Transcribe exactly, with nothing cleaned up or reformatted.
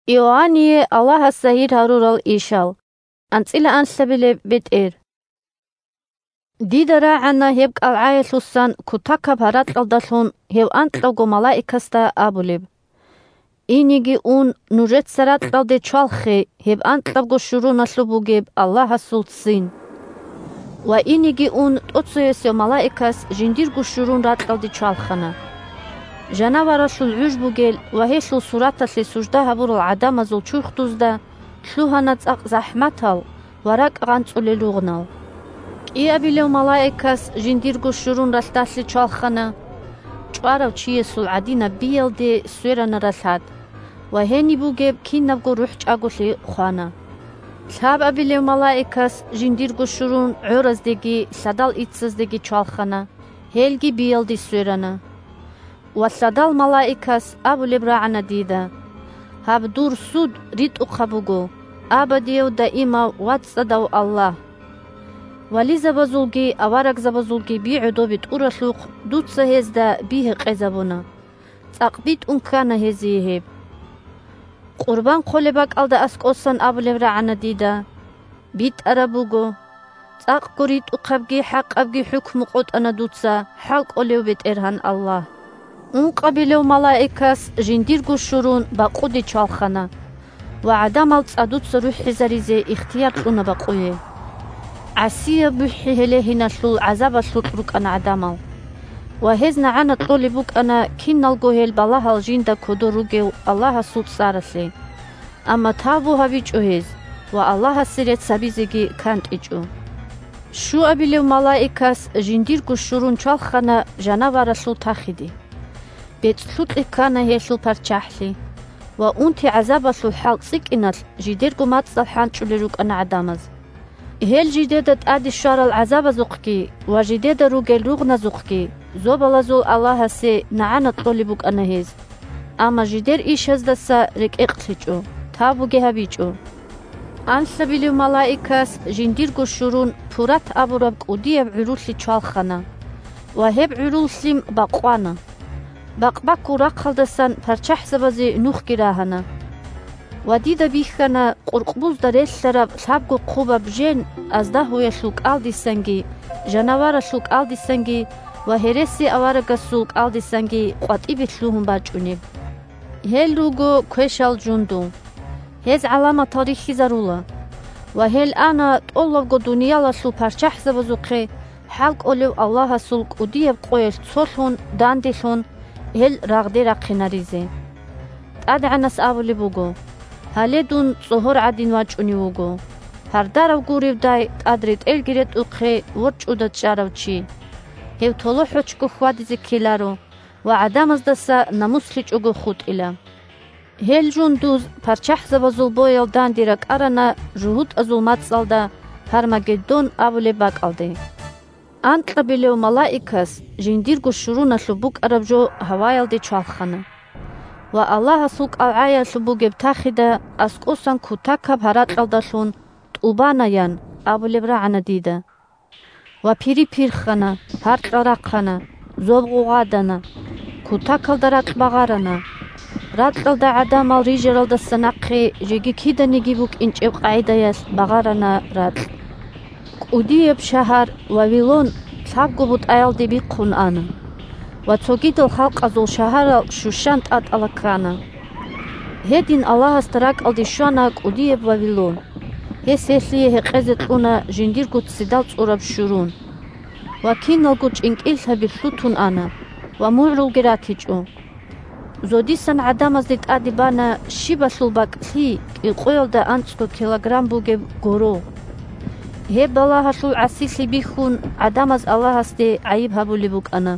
Иоанние Аллагьас загьир гьарурал ишал. АнцӀила анлъабилеб бетӀер. Дида рагӀана гьеб кӀалгӀаялъусан кутакаб гьаракьалдалъун гьев анкьавго малаикасда абулеб: «Инеги ун, нужеца ракьалде чвалхе гьеб анкьабго щуруналъуб бугеб Аллагьасул ццин». Ва инеги ун, тӀоцоясев малаикас жиндирго щурун ракьалде чвалхана. Жанаваралъул гӀуж бугел ва гьелъул сураталъе сужда гьабурал гӀадамазул чурхдузда лъугьана цӀакъ захӀматал ва ракӀ гъанцӀулел ругънал. КӀиабилев малаикас жиндирго щурун ралъдалъе чвалхана, чӀварав чиясул гӀадинаб биялде сверана ралъад, ва гьениб бугеб кинабго рухӀ чӀаголъи хвана. Лъабабилев малаикас жиндирго щурун гӀораздеги лъадал иццаздеги чвалхана, гьелги биялде сверана. Ва лъадал малаикас абулеб рагӀана дида: «Гьаб дур суд ритӀухъаб буго, абадияв даимав ва ЦӀадав Аллагь. Вализабазулги аварагзабазулги би гӀодобе тӀуралъухъ дуца гьезда би гьекъезабуна. ЦӀакъ битӀун ккана гьезие гьеб». Къурбан хъолеб бакӀалда аскӀосан абулеб рагӀана дида: «БитӀараб буго, цӀакъго ритӀухъабги хӀакъабги хӀукму къотӀана дуца, хӀалкӀолев БетӀергьан Аллагь». Ункъабилев малаикас жиндирго щурун бакъуде чвалхана ва гӀадамал цӀадуца рухӀизаризе ихтияр кьуна бакъуе. ГӀасияб бухӀи гьелегьиналъул гӀазабалъукь рукӀана гӀадамал. Ва гьез нагӀана кьолеб букӀана киналго гьел балагьал жинда кодор ругев Аллагьасул цӀаралъе. Амма тавбу гьабичӀо гьез ва Аллагьасе рецц гьабизеги кантӀичӀо. Щуабилев малаикас жиндирго щурун чвалхана жанаваралъул тахиде. БецӀлъукье ккана гьелъул парччахӀлъи, ва унти-гӀазабалъул хӀал цӀикӀкӀиналъ жидерго мацӀал хӀанчӀулел рукӀана гӀадамаз. Гьел жидеда тӀаде щварал гӀазабазухъги ва жидеда ругел ругъназухъги зобалазул Аллагьасе нагӀана кьолеб букӀана гьез, амма жидер ишаздаса рекӀекълъичӀо, тавбуги гьабичӀо. Анлъабилев малаикас жиндирго щурун Пурат абураб кӀудияб гӀурулъе чвалхана ва гьеб гӀурул лъим бакъвана. Бакъбаккул рахъалдасан парччахӀзабазе нухги рагьана. Ва дида бихьана къуркъбузда релълъараб лъабго хъубаб жен аздагьуялъул кӀалдисанги, жанаваралъул кӀалдисанги ва гьересиаварагасул кӀалдисанги къватӀибе лъугьун бачӀунеб. Гьел руго квешал жундул. Гьез гӀаламатал рихьизарула. Ва гьел ана тӀолабго дуниялалъул парччахӀзабазухъе хӀалкӀолев Аллагьасул кӀудияб къоялъ цолъун данделъун гьел рагъде рахъинаризе. ТӀадегӀанас абулеб буго: «Гьале дун цӀогьор гӀадин вачӀунев вуго, гьардарав гуревдай тӀад ретӀелги ретӀухъе ворчӀуда чӀарав чи. Гьев толохӀочго хьвадизе ккеларо ва гӀадамаздаса намуслъичӀого хутӀила». Гьел жундуз парччахӀзабазул боял данде ракӀарана жугьутӀазул мацӀалда Гьармагеддон абулеб бакӀалде. Анкьабилев малаикас жиндирго щуруналъуб букӀараб жо гьаваялде чвалхана. Ва Аллагьасул кӀалгӀаялъуб бугеб тахида аскӀосан кутакаб гьаракьалдалъун тӀубана ян абулеб рагӀана дида. Ва пири пирхана, гьаркьа рахъана, зоб гъугъадана, кутакалда ракь багъарана. Ракьалда гӀадамал рижаралдаса нахъе жеги киданиги букӀинчӀеб къагӀидаялъ багъарана ракь. КӀудияб шагьар Вавилон лъабго бутӀаялде бихъун ана, ва цогидал халкъазул шагьарал щущан тӀатӀала ккана. Гьедин Аллагьасда ракӀалде щвана кӀудияб Вавилон. Гьес гьелъие гьекъезе кьуна жиндирго ццидал цӀураб щурун. Ва киналго чӀинкӀиллъаби лъутун ана ва мугӀрулги ратичӀо. Зодисан гӀадамазде тӀаде бана щибалъул бакӀлъи кӀикъоялда анцӀго килограмм бугеб горол. Гьеб балагьалъул гӀасилъи бихьун, гӀадамаз Аллагьасде гӀайиб гьабулеб букӀана.